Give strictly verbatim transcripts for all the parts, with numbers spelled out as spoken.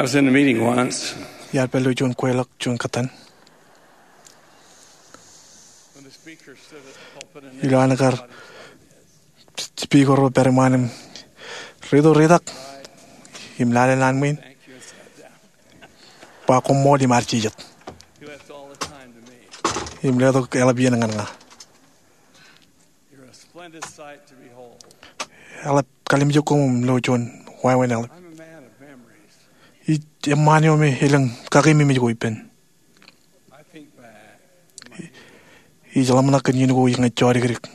I was in a meeting once. Iar pād ilo juon kweilọk juon kōttan. When the speaker stood at the pulpit and ilo an kar speaker eo pād iṃaan im riit eo ritak im lale naan ṃwiin, ba koṃṃool im arjijat. He left all the time to me. Im letok eḷap iien ñan ña. You're a splendid sight to behold. Eḷap kalimjek koṃ im lo juon wāween eḷap. I'm a man of memories. Ij eṃṃaan eo me elōñ kakeememej ko ippān. I think back. Ij ḷōmṇak kōn iien ko ij ñe jodikdik.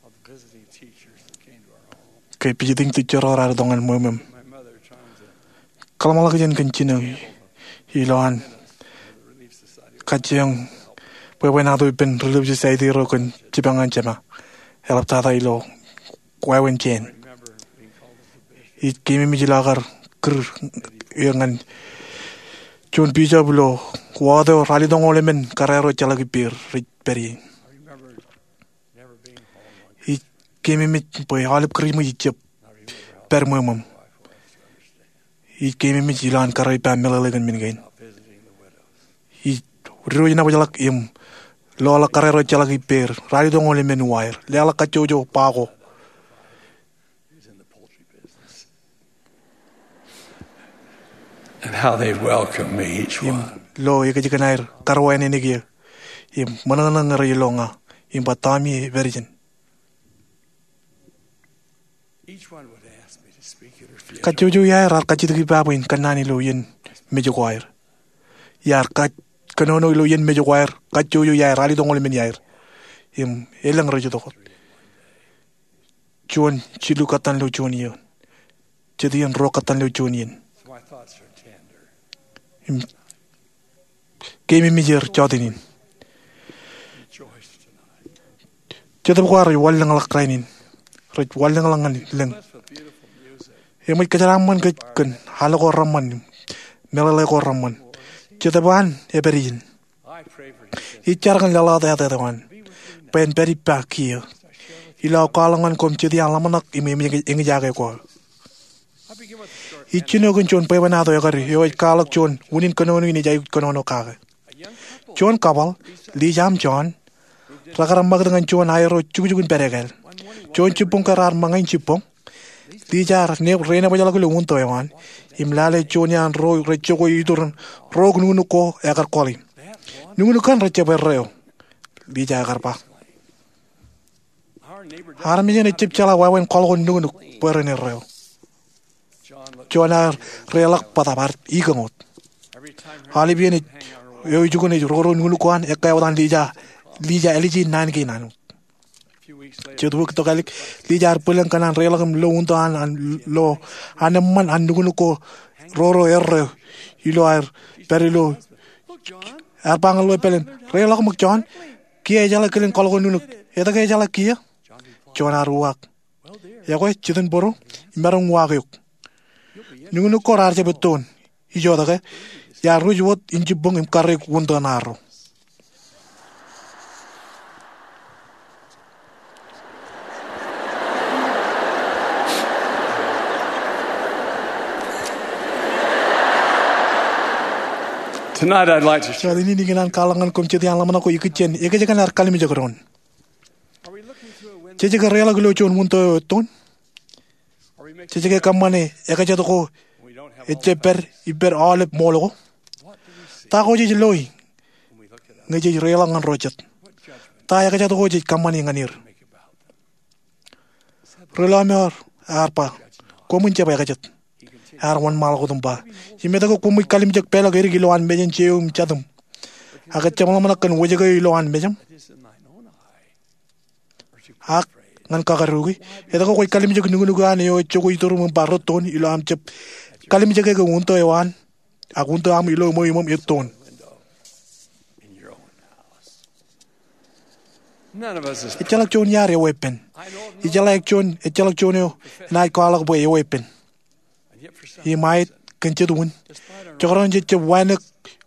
Of the visiting teachers that came to our home. Ke visiting teacher ro raar itok ñan ṃweo ṃweo. My mother trying to Kōḷmānḷọkjeṇ kōn jino ilo an kajjioñ bwebwenato ippān Relief Society ro kōn jipañ an jema. Eḷaptata ilo wāween jān. Ij keememej ilo aō kar kūr er ñan juon bishop ilo ward eo ralitōñoul emān kōrā ro ejjeḷọk ippāer rej pād ie. Ij keememej bwe aolep Kūrijṃōj ij jab pād ṃweo ṃweo. Ij keememej ilo an kōrā ippa meḷeḷe kōn men kein. Ij diwōj nōbōjḷọk im loḷọk kōrā ro ejjeḷọk ippāer ralitōñoul emān uwaer, leḷọk kajjojo ba ko. And how they welcome me, each one. Im lo ekōjkan aer karuwaineneik eō im ṃōṇōṇō ñe rej lo ña im ba, Tommy, epād ijin. Each one would ask me to speak at her funeral. Kajjojo iaer raar kajjitōk ippa bwe in kōnnaan ilo iien mej ko aer. Iar kōnono ilo iien mej ko aer, kajjojo iaer ralitōñoul emān iaer. Im elōñ rej itok wōt. Juon jilu kōttan ilo juon iien. Jet iien ruo kōttan ilo juon iien. So my thoughts are tender. Im keememej er jọteen in. Rejoice tonight. Jetōb ko ad rej wanlōñḷọk rainin. Rej wanlōñḷọk ñan lōñ. Blessed with beautiful music. Eṃōj kōjeraaṃṃan kōj kōn al ko reṃṃan, meḷeḷe ko reṃṃan. Jetōb an epād ijin. Ij jar kōn laḷ eo ej āt eo an bwe en pād ippa kiiō ilo aō kwaḷọk ñan koṃ jet iaan ḷōmṇak im eñjake ko aō. Ij jino kōn juon bwebwenato ekkar eo ej kwaḷọk juon unin kōnono in ej aikuj kōnono kake. Juon couple, Lisa im John, rekar ṃakūt ñan juon aerro jukjuk in pād ekāāl. Juon jibboñ ke raar ṃōñā in jibboñ, Lisa ear renebōjḷọk ilo untō eo an im lale juon iaan ro rej jokwe iturin ro nuknuk ko ekar kọḷi. Nuknuk kaṇ rej jab erreo, Lisa ekar ba. Armej eṇ ejjab jeḷā wāween kọḷkọḷ nuknuk bwe ren erreo. John ear reḷọk bōtaab ear ikōñ wōt. Aolep iien eo ijukun ej roro nuknuk ko an, ekkā wōt an Lisa, Lisa ālije naan kein an wōt. Jet wiik tokālik, Lisa ear bwilōñ kōn an reḷọk im lo untō an, an lo an eṃṃan an nuknuk ko roro erreo ilo aer pād ilo. Ear ba ñan ḷeo epāl in, reḷọk ṃōk John, kiiō ejeḷā kilen kọḷkọḷ nuknuk. Etke ejeḷā kiiō? John ear uwaak. Ekwe, jitōnbōro, imaroñ uwaak eok. Nuknuk ko raar jab ettoon. Ijoke, iar ruj wōt in jibboñ im karreoik untō ṇaarro. Tonight I'd like to share. Jọteen in ikōṇaan kwaḷọk ñan koṃ jet iaan ḷōmṇak ko ikijjien ekōjkan aer kalimjek doon. Jej ke reḷọk ilo juon untō eo ettoon? Jej ke kōṃṃane ekajet ko ejjab pād ippād aolep ṃool ko? Ta ko jej loi ñe jej reḷọk ñan ro jet? Ta ekajet ko jej kōṃṃane ñan er? Ri-lọmọọr ear ba, koṃwin jab ekajet. Ear wōnṃaanḷọk wōt im ba, im etke koṃij kalimjek peḷọk edik ilowaan mejān jeiū im jatūṃ ak ejjab ḷōmṇak kōn wōjke eo ilowaan mejaṃ? Ak ñan kakadooki, etke kwōj kalimjek nuknuk eo an eo ej jokwe ituruṃ im ba rettoon ilo aṃ jab kalimjeke ke untō eo an ak untō aṃ ilo ṃweo iṃōṃ ettoon? Ejjeḷọk juon iaad eweeppān. Ijeḷā juon, ejjeḷọk juon eo enaaj kwaḷọk bwe eweeppān. Im aet, kōn jet wūn, jekdọọn jej jab wānōk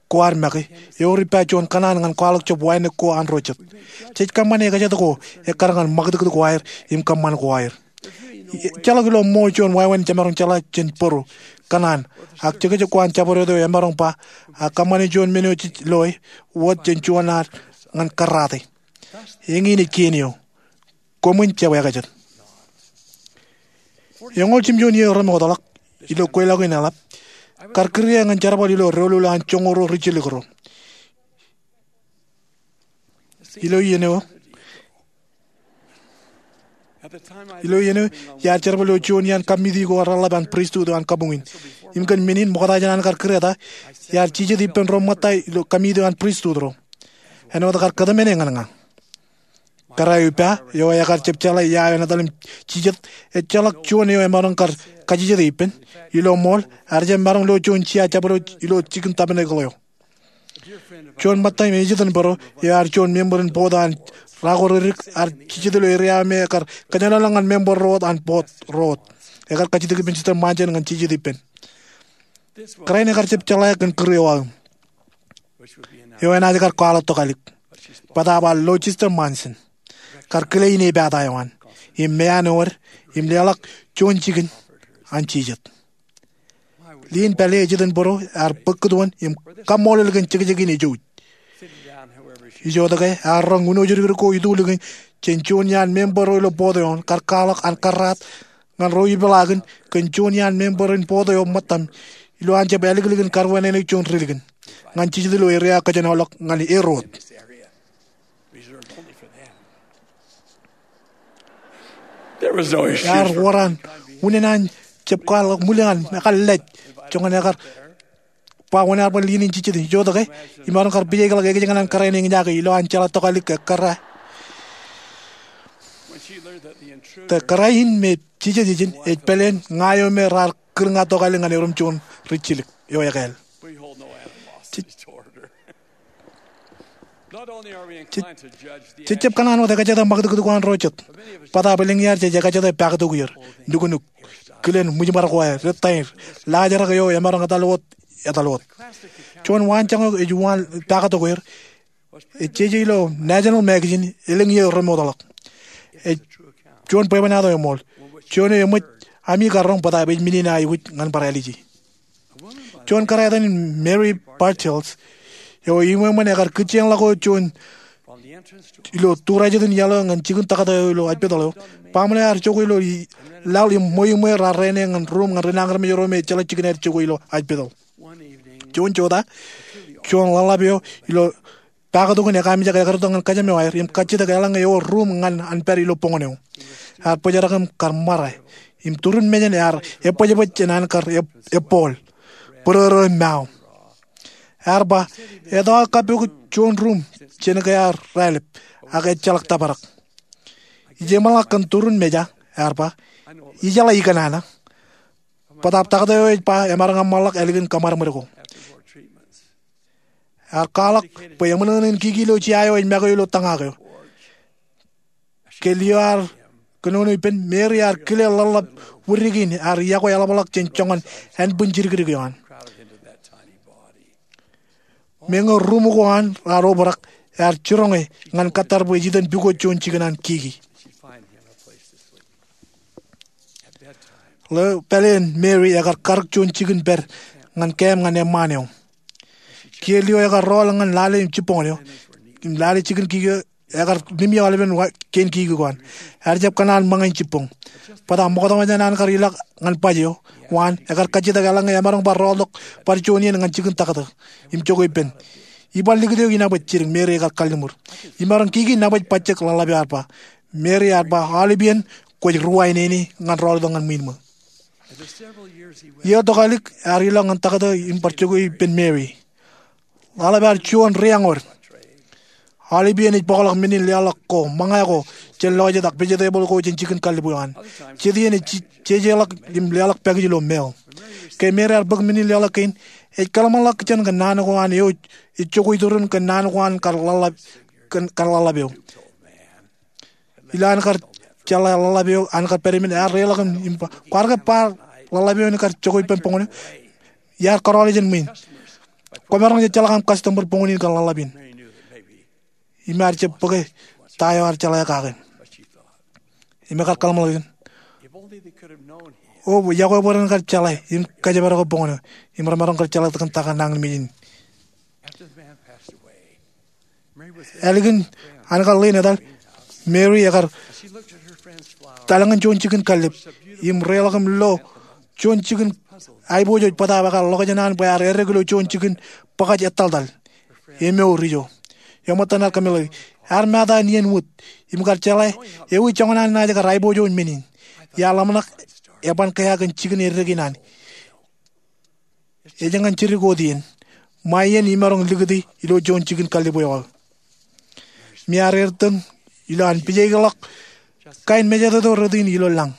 ko ad make, ewōr ippa juon kōṇaan ñan kwaḷọk jab wānōk ko an ro jet. Jej kōṃṃane ekajet ko ekkar ñan ṃakūtkūt ko aer im kōṃṃan ko aer. Ejjeḷọk ilo ṃool juon wāween jemaroñ jeḷā jān bōro kōṇaan, ak jekjek ko an jabdewōt eo emaroñ ba, ak kōṃṃane juon men eo jej loe wōt jān juon ad ñan karrate. Eñin ej kien eo. Koṃwin jab ekajet. Eñoul jimjuon iiō remootḷọk, ilo kweilọk in eḷap, kar kūr ie ñan jerbal ilo doulul an joñoul ruo rijjilōk ro. Ilo iien eo, ilo iien eo, iar jerbal ilo juon iaan kōmiti ko reḷḷap an pristut eo an kabuñ in. Im kōn men in ṃokta jān an kar kūr eta, iar jijet ippān ro ṃōtta ilo kōmiti eo an pristut ro. Āinwōt kar kōtmāne ñan ña. Kōrā eo ippa, eo ekar jab jeḷā ia eo enaaj etal im jijet, ejjeḷọk juon eo emaroñ kar kajjitōk ippān. Ilo ṃool, ear jab maroñ lo juon jea jabdewōt ilo jikin tabernacle eo. Juon ṃōtta im ejitōnbōro, eo ear juon member in board eo an Rako Ririk, ear jijet ilo eria eo me ekar kōjenolọk ñan member ro wōt an board ro wōt. Ekar kajjitōk ippān Sister Monson ñan jijet ippān. Kōrā in ekar jab jeḷā kōn kūr eo aō, eo enaaj kar kwaḷọk tokālik. Bōtaab ear lo Sister Monson, kar kile inepata eo an, im meanwōd, im leḷọk juon jikin an jijet. Lien pālle ejitōnbōro ear bōk kūtwōn im kaṃṃoolol kōn jekjek in ejouj. Ijoke, ear roñ uno jidik ko itulōñ in jān juon iaan member ro ilo board eo an, kar kwaḷọk an kōrraat ñan ro ipeḷaakin kōn juon iaan member in board eo ṃōttaṃ, ilo an jab āliklik in karwānānōk juon ri likin ñan jijet ilo eria eo kōjenolọk ñan er wōt. Ear wōr an unin an jab kwaḷọk ṃwilaḷ ñan ekar lej, joñan ekar ba wōn ear bar lien in jijet. Ijoke, imaroñ kar pijekḷọk ekōjkan an kōrā in eñjake ilo an jeḷā tokālik ke kōrā, ke kōrā in me jijet ijin ej pāleen ña eo me raar kūr ña tokālik ñan erom juon rijjilōk eo ekāāl. Jej jab kōṇaan wōt ekajete ṃakūtkūt ko an ro jet. Bōtaab elōñ iaad jej ekajete paaktok er, nuknuk, kilen ṃwijṃar ko aer, ri taer, laajrak eo emaroñ etal wōt, etal wōt. Juon waanjoñak eo ej uwaan paaktok er, ej jeje ilo National Magazine elōñ iiō remootḷọk. Ej juon bwebwenato eṃool. Juon eo eṃōj ami karoñ bōtaab ej men in aikuj ñan bar āliji. Juon kōrā etan in Mary Bartels, eo eṃṃan ekar kūjjeḷọk wōt juon ilo tūrā jet in iaḷ eo ñan jikin taktō eo ilo hospital eo, baaṃle ear jokwe ilo laḷ im ṃweiṃwe raar rāne ñan ruuṃ ñan rinañinmej ro me ejjeḷọk jikin aer jokwe ilo hospital. Juon jota, juon ḷōḷḷap eo ilo paaktok in ekaamijak ekar itok ñan kōjām eo aer im kajjitōk eḷaññe ewōr ruuṃ ñan an pād ilo boñōn eo. Ear bōjrak im kar ṃare, im turin mejān ear ebōjbōj jān an kar eb-, ebbool, bōrōrō im mao. Ear ba, etto aō kappok juon ruuṃ jān ke ear raelep, ak ejjeḷọk tōprak. Ij eṃṃanḷọk kōn turin meja, ear ba, ijeḷā ikōṇaan. Bōtaab taktō eo ej ba emaroñ eṃṃanḷọk ālikin kōṃadṃōd ko. Ear kwaḷọk bwe eṃōṇōṇō in kiki ilo jea eo ej make ilo tōñak eo. Ke lio ear kōnono ippān, Mary ear kile ḷōḷḷap wūdik in ear iọkwe eḷapḷọk jān joñan ānbwin jidikdik eo an. Meñe ruuṃ ko an raar obrak, ear jiroñe ñan kōttar bwe ej itok pukot juon jikin an kiki. Ḷeo pāleen Mary ekar karōk juon jikin pād ñan kaṃ ñan eṃṃaan eo. Kiiō lio ekar rọọl ñan lale im jibboñōn eo, im lale jikin kiki eo ekar limjek aolepen kein kiki ko an. Ear jab kōṇaan ṃōñā in jibboñ. Bōtaab ṃokta jān an kar ilọk ñan baj eo, waan, ekar kajjitōk eḷaññe emaroñ bar rọọltok bar juon iien ñan jikin taktō im jokwe ippān. Iban likūt eo inepwōj jidik, Mary ekar kalliṃur. Imaroñ kiki nepwōj bajjek ḷōḷḷap eo ear ba. Mary ear ba, aolep iien kwōj ruwainene ñan rọọltok ñan ṃwiinṃō. Iiō tokālik ear ilọk ñan taktō im bar jokwe ippān Mary. Ḷōḷḷap ear juon ri-eñood. Aolep iien ej bōkḷọk men in leḷọk ko, ṃōñā ko jān lọjet ak vegetable ko jān jikin kallib eo an. Jet iien ej jejeḷọk im leḷọk package ilo mail. Ke Mary ear bōk men in leḷọk kein, ej kōḷmānḷọk kōn naan ko an eo ej jokwe iturin kōn naan ko an kar ḷōḷḷap, kōn, kar ḷōḷḷap eo. Ilo an kar jeḷā ḷōḷḷap eo an kar pād ippān, ear reḷọk im ba, kwaar ke bar ḷōḷḷap eo en kar jokwe ippān boñōn eo? Iar kōrọọl jān ṃwiin. Kwōmaroñ jejjeḷọk aṃ customer boñōn in kōn ḷōḷḷap in. Im ear jab bōke ta eo ear jeḷā kake. Im ekar kōḷmānḷọkjeṇ. O yokwe bwe ren kar jeḷā im kōjparok bōk ṇe im remaroñ kar jeḷā kōn ta kōn nañinmej in. Ālikin an kar ḷein etal, Mary ekar etal ñan juon jikin kallib im reḷọk im lo juon jikin aiboojoj bōtaab ekar ḷọk jān an bwe ear errek ilo juon jikin bōkaj ettaltal emour ijo. Eṃṃan ear kōmeḷeḷe, ear mata in iien wōt im kar jeḷā ewi joñan an naaj kar aiboojoj men in. Iar ḷōmṇak eban kea kōn jikin errek in an. Ej ñan jidik wōt iien, ṃae iien imaroñ likūti ilo juon jikin kallib eo aō. Im iar ertōñ ilo an pijaikḷọk kain mejatoto rot in ilo lañ.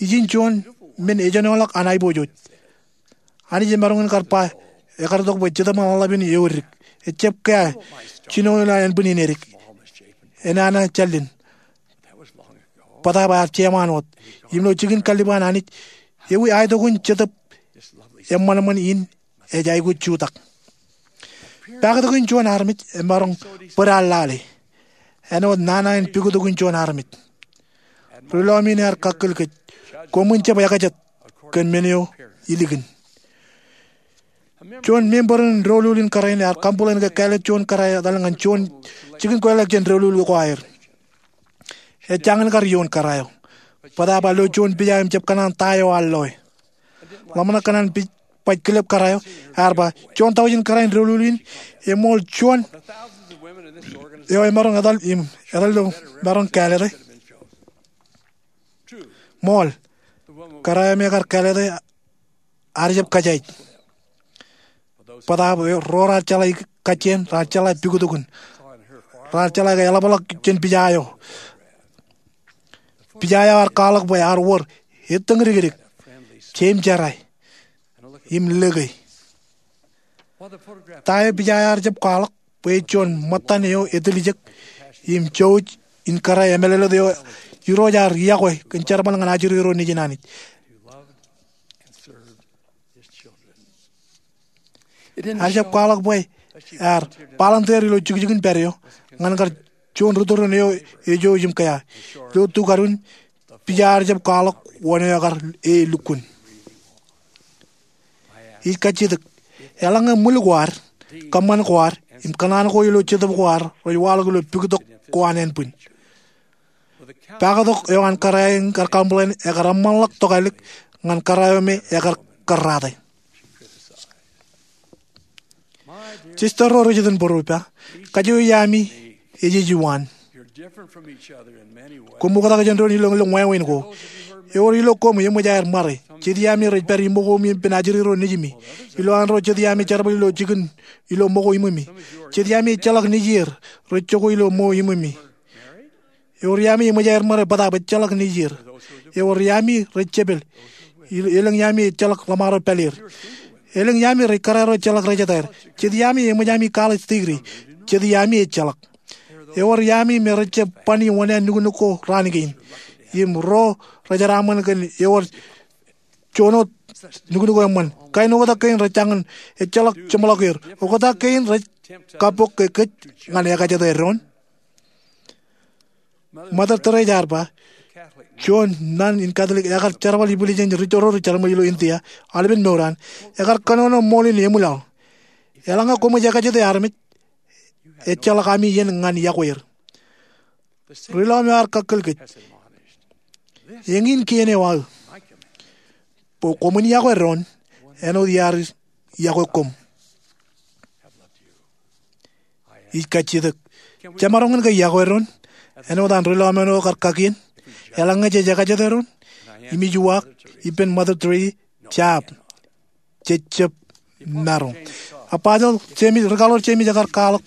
Ijin juon men ejenoḷọk an aiboojoj. Anij emaroñ in kar ba, ekar tok bwe Jetōb Ḷōḷḷap in eo edik. Ejjab kea jino ilo ānbwin in edik. Enana jālen, bōtaab ear jeṃaan wōt. Im ilo jikin kallib an Anij, ewi aetok in Jetōb eṃṃanṃan in ej aikuj jutak. Paktok in juon armej emaroñ bōd an lale. Āinwōt nana in puktok in juon armej. Ri lọmọọr in ear kakkōl kōj, koṃwin jab ekajet kōn men eo ilikin. Juon member in doulul in kōrā in ear complain ke kāālōt juon kōrā eo etal ñan juon jikin kweilọk jān doulul ko aer. Ejjañin kar iioon kōrā eo, bōtaab ear lo juon pija im jab kōṇaan ta eo ear loe. Ḷōmṇak kōn an pija baj kilep kōrā eo, ear ba, juon taujin kōrā in doulul in, eṃool juon eo emaroñ etal im etal ilo maroñ kāālōte. Ṃool, kōrā eo me ekar kāālōte ear jab kōjaij. Bōtaab ro raar jeḷā kajjien, raar jeḷā puktokin, raar jeḷā ke eḷapḷọk jān pija eo. Pija eo ear kwaḷọk bwe ear wōr ettōñdikdik, jeim jerā, im lōke. Ta eo pija eo ear jab kwaḷọk bwe ej juon ṃōttan eo etiljek im jouj in kōrā emālōtlōt eo Irooj ear iọkwe kōn jerbal ñan ajri ro nejin Anij. Ear jab kwaḷọk bwe ear volunteer ilo jukjukin pād eo ñan kar juon ri tōre eo ejouj im kea. Ilo tukadun, pija ear jab kwaḷọk wōn eo ekar e lukkuun. Ij kajjitōk, eḷaññe ṃwil ko ad, kōṃṃan ko ad, im kōṇaan ko ilo jetōb ko ad rej waḷọk ilo puktok ko an ānbwin, paktok eo an kōrā in kar complain ekar eṃṃanḷọk tokālik ñan kōrā eo me ekar kōrraate. Jistōr ro ri jitōnbōro ippa, kajjioji ami ej ej iwaan. Koṃ oktak jān doon ilọk ilo wāween ko. Ewōr ilo koṃ eṃōj aer ṃare. Jet iaami rej pād iṃōko im ippān ajri ro nejimi. Ilo an ro jet iaami jerbal ilo jikin ilo ṃōko iṃōmi. Jet iaami ejjeḷọk nejier rej jokwe ilo ṃōko iṃōmi. Ewōr iaami eṃōj aer ṃare bōtaab ejjeḷọk nejier. Ewōr iaami rej jepel. Elōñ iaami ejjeḷọk ḷōṃaro pāleer. Elōñ iaami rej kōrā ro ejjeḷọk rejetaer. Jet iaami eṃōj ami college degree. Jet iaami ejjeḷọk. Ewōr iaami me rej jab bani wōṇāān nuknuk ko raan kein. Im ro rej jeraaṃṃan kōn ewōr juon wōt nuknuk ko eṃṃan. Kain oktak kein rej jañin ejjeḷọk jeṃḷọk er. Oktak kein rej kabbok ke kōj ñan ekajete doon. Mother Teresa ear ba, juon nun in Katlik ekar jerbal ibwiljān ri tōre ro rej jeraṃōj ilo India, aolepen mour an, ekar kōnono ṃool in eṃwilaḷ. Eḷaññe koṃij ekajete armej, ejjeḷọk ami iien ñan iọkwe er. Ri lọmọọr eo ear kakkōl kōj, eñin kien eo aō, bwe koṃwin iọkwe doon āinwōt iar iọkwe koṃ. Ij kajjitōk, jemaroñ in ke iọkwe doon āinwōt an ri lọmọọr eo kar kakien? Eḷaññe jej ekajete doon, im ij uwaak ippān Mother Teresa, jab, jej jab maroñ. Apostle James, ri kaḷoor James ekar kwaḷọk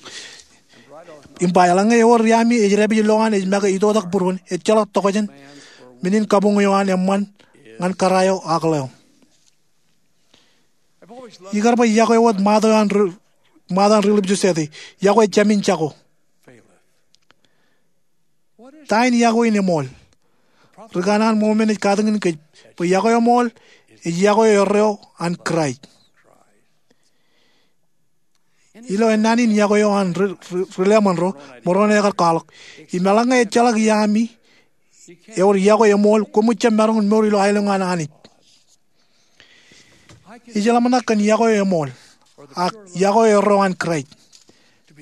im ba, eḷaññe ewōr iaami ej dāpij lowaan ej make itoitak būruon, ejjeḷọk tokjān men in kabuñ eo an eṃṃan ñan kōrā eo ak ḷeo. Ikar bwe iọkwe wōt ṃaat eo an ri, ṃaat an ri Lipjo Sete, iọkwe jāmin jako. Ta in iọkwe in eṃool? Ri kanaan Mōmon ej katakin kōj bwe iọkwe eṃool ej iọkwe erreo an Kraist. Ilo ennaan in iọkwe eo an ri, ri, ri lemon ro, Moroni ekar kwaḷọk, im eḷaññe ejjeḷọk iaami ewōr yokwe eṃool, koṃij jab maroñ in mour ilo aelōñ an Anij. Ij ḷōmṇak kōn yokwe eṃool ak yokwe erreo an Kraist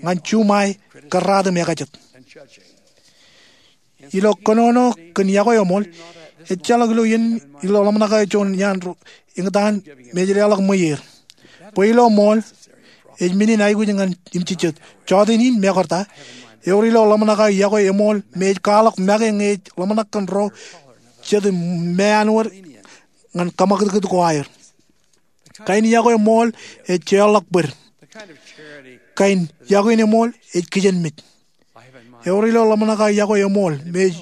ñan juṃae kōrraat im ekajet. Ilo kōnono kōn yokwe eṃool, ejjeḷọk ilo iien ilo ḷōmṇak eo juon iaan ro eñtaan me ej leḷọk ṃweier. Bwe ilo ṃool, ej men in aikuj ñan im jijet. Jota in mekarta, ewōr ilo ḷōmṇak eo yokwe eṃool me ej kwaḷọk make ñe ej ḷōmṇak kōn ro jet im meanwōd ñan kōṃakūtkūt ko aer. Kain yokwe ṃool ej jeorḷọk bōd. Kain yokwe in eṃool ej kijenmej. Ewōr ilo ḷōmṇak eo yokwe eṃool me ej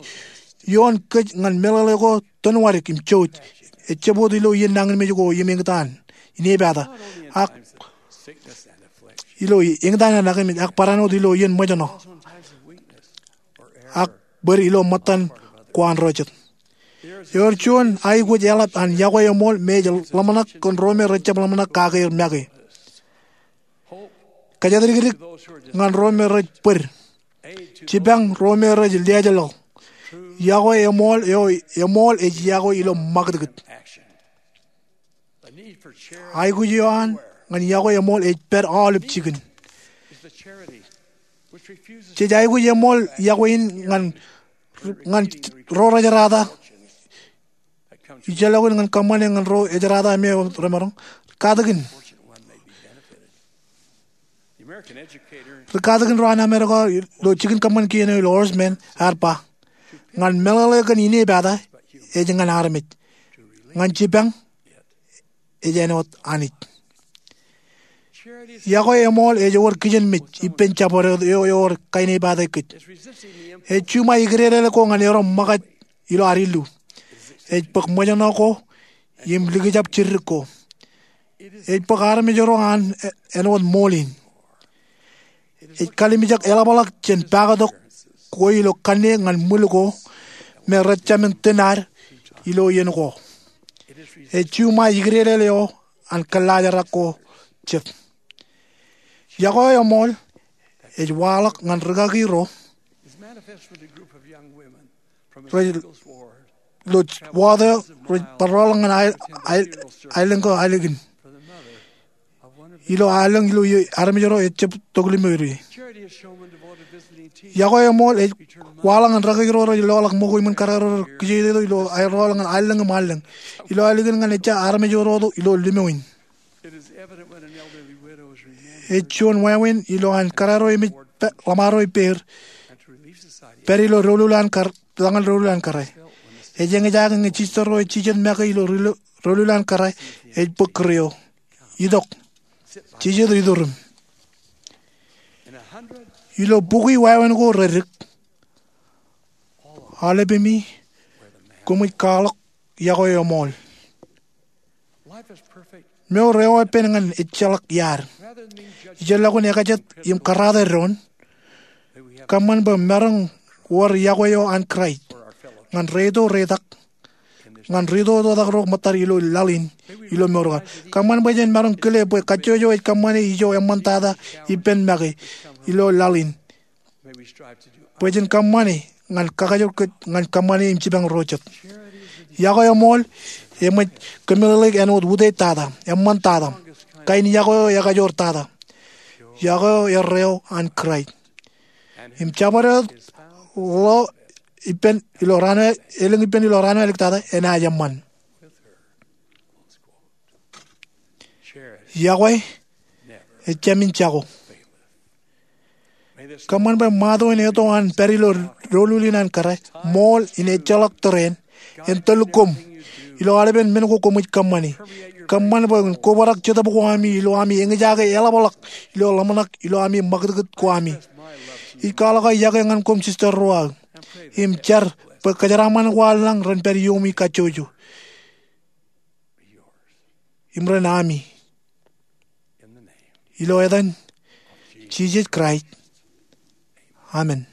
ioon kōj ñan meḷeḷe ko tōnwadik im jouj. Ejjab wōt ilo iien nañinmej ko im eñtaan, inepata, ak ilo eñtaan an akemej, ak barāinwōt ilo iien ṃōjṇọ ak bōd ilo ṃōttan ko an ro jet. Ewōr juon aikuj eḷap an yokwe eṃool me ej ḷōmṇak kōn ro me rejjab ḷōmṇak kake aer make. Kōjatdikdik ñan ro me rej bōd. Jipañ ro me rej lejḷọk. Yokwe eṃool eo eṃool ej yokwe ilo ṃakūtkūt. Aikuj eo an ñan yokwe eṃool ej pād aolep jikin. Jej aikuj eṃool yokwe in ñan, ñan ro rejerata. Ijellọkin ñan kōṃṃane ñan ro ejerata me remaroñ. Katakin. Ri katakin ro an Amerika ilo jikin kōṃṃan kien eo ilo Horace Mann ear ba, ñan meḷeḷe kōn inepata ej ñan armej. Ñan jipañ ej āinwōt Anij. Yokwe eṃool ej ewōr kijenmej ippān jabdewōt eo ewōr kainepata kōj. Ej juṃae ikdedeḷọk ko ñan erom ṃōkaj ilo ad illu. Ej bōk ṃōjṇọ ko im likjab jiddik ko. Ej bōk armej ro an āinwōt ṃool in. Ej kalimjek eḷapḷọk jān pakatok ko ilo kanniōk ñan ṃwil ko me rejāmin tōn ad ilo iien ko. Ej juṃae ikdedeḷọk eo an kōllaajrak ko jet. Yokwe eṃool ej waḷọk ñan rikaki ro rej, ilo wōt eo rej bar rọọl ñan aelōñ ko ālikin. Ilo aelōñ ilo armej ro ejjab tok limō ri. Yokwe eṃool ej waḷọk ñan rikaki ro rej loḷọk ṃōko iṃōn kōrā ro rej kijeitōk ilo aer rọọl ñan allōñ im allōñ. Ilo ālikin ñan ejja armej ro ilo limōin. Ej juon wāween ilo an kōrā ro emej ḷōṃaro ippāer pād ilo doulul an kōrā, ḷōñan doulul an kōrā. Ej eñjake ñe jisōl ro ej jijet make ilo doulul an kōrā ej bōk kūr eo. Itok. Jijet iturim. Ilo bukwi wāween ko redik, aolepemi koṃij kwaḷọk yokwe eṃool. Mour eo epen ñan ejjeḷọk iaad. Ijellọkin ekajet im kōrraate doon, kōṃṃan bwe maroñ wōr yokwe eo an Kraist ñan ri ito ri tak, ñan ri ito ri tak ro ṃōttad ilo laḷ in, ilo mour ko ad. Kōṃṃan bwe jen maroñ kile bwe kajjojo ej kōṃṃane ijo eṃṃantata ippān make ilo laḷ in. Bwe jen kōṃṃane ñan kakajoor kōj ñan kōṃṃane im jipañ ro jet. Yokwe eṃool eṃōj kōmeḷeḷeik āinwōt utiej tata, eṃṃantata, kain yokwe eo ekajoor tata. Yokwe eo erreo an Kraist. Im jabdewōt ḷeo ippān ilo raan eo, elōñ ippān ilo raan eo āliktata enaaj eṃṃan. Yokwe ejāmin jako. Kōṃṃan bwe ṃato in eto an pād ilo doulul in an kōrā, ṃool in ejjeḷọk tōre in, en tōl koṃ ilo aolepen men ko koṃij kōṃṃane. Kōṃṃan bwe en kobrak jetōb ko ami ilo ami eñjake eḷapḷọk ilo ḷōmṇak ilo ami ṃakūtkūt ko ami. Ij kwaḷọk aō yokwe ñan koṃ, Sister Ruaō, im jar bwe kōjeraaṃṃan ko an lañ ren pād iiomi kajjojo im ren ami. Ilo etan Jisōs Kraist, amen.